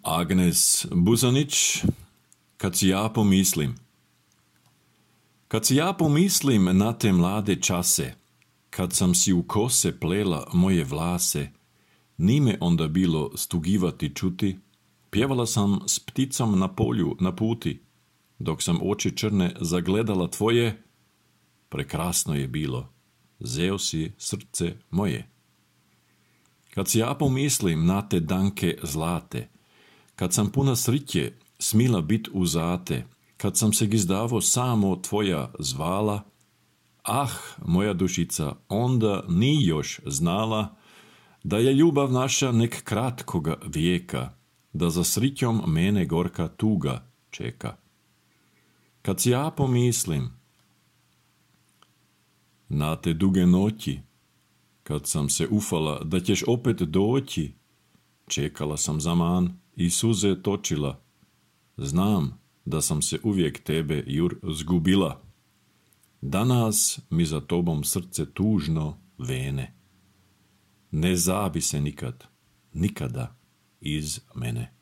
Agnes Buzanić, kad si ja pomislim. Kad si ja pomislim na te mlade čase, kad sam si u kose plela moje vlase, ni me onda bilo stugivati čuti, pjevala sam s pticom na polju na puti, dok sam oči črne zagledala tvoje, prekrasno je bilo, zeo si srce moje. Kad si ja pomislim na te danke zlate, kad sam puna sriće smila bit uzate, kad sam se gizdavo samo tvoja zvala, ah, moja dušica onda ni još znala, da je ljubav naša nek kratkoga vijeka, da za srićom mene gorka tuga čeka. Kad si ja pomislim na te duge noći, kad sam se ufala da ćeš opet doći, čekala sam zaman i suze točila. Znam da sam se uvijek tebe, Jur, zgubila. Danas mi za tobom srce tužno vene. Ne zabi se nikad, nikada iz mene.